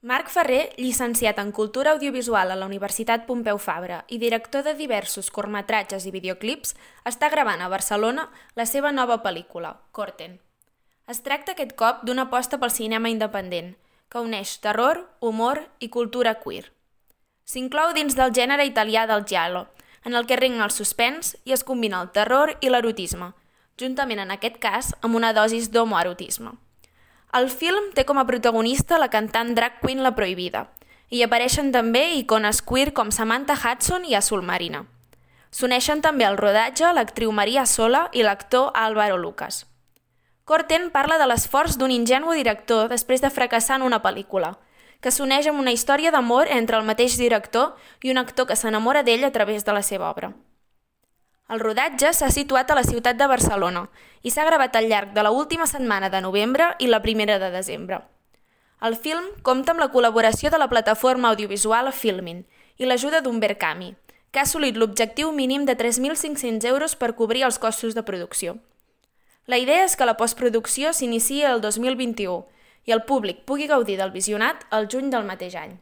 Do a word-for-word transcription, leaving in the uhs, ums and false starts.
Marc Ferrer, llicenciat en Cultura Audiovisual a la Universitat Pompeu Fabra i director de diversos curtmetratges i videoclips, està gravant a Barcelona la seva nova pel·lícula, Corten. Es tracta aquest cop d'una aposta pel cinema independent, que uneix terror, humor i cultura queer. S'inclou dins del gènere italià del giallo, en el que regna el suspens i es combina el terror i l'erotisme, juntament en aquest cas amb una dosis d'homoerotisme. El film té com a protagonista la cantant drag queen La Prohibida, i hi apareixen també icones queer com Samantha Hudson i Azul Marina. S'uneixen també al rodatge l'actriu Maria Sola i l'actor Álvaro Lucas. Corten parla de l'esforç d'un ingenu director després de fracassar en una pel·lícula, que s'uneix amb una història d'amor entre el mateix director i un actor que s'enamora d'ell a través de la seva obra. El rodatge s'ha situat a la ciutat de Barcelona i s'ha gravat al llarg de l'última setmana de novembre i la primera de desembre. El film compta amb la col·laboració de la plataforma audiovisual Filmin i l'ajuda d'Humbert Cami, que ha assolit l'objectiu mínim de tres mil cinc-cents euros per cobrir els costos de producció. La idea és que la postproducció s'iniciï el dos mil vint-i-u i el públic pugui gaudir del visionat el juny del mateix any.